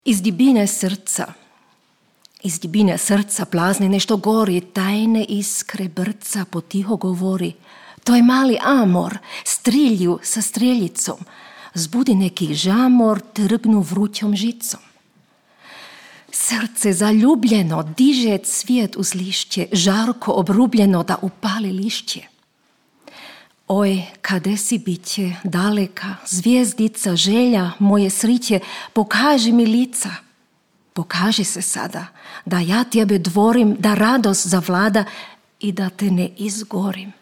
Iz dubine srca plazne nešto gori, tajne iskre brca potiho govori. To je mali amor, strilju sa streljicom, zbudi neki žamor, trgnu vrućom žicom. Srce zaljubljeno diže cvijet uz lišće, žarko obrubljeno da upali lišće. Oj, kade si biće, daleka, zvijezdica, želja, moje sriće, pokaži mi lica. Pokaži se sada, da ja tebe dvorim, da radost zavlada i da te ne izgorim.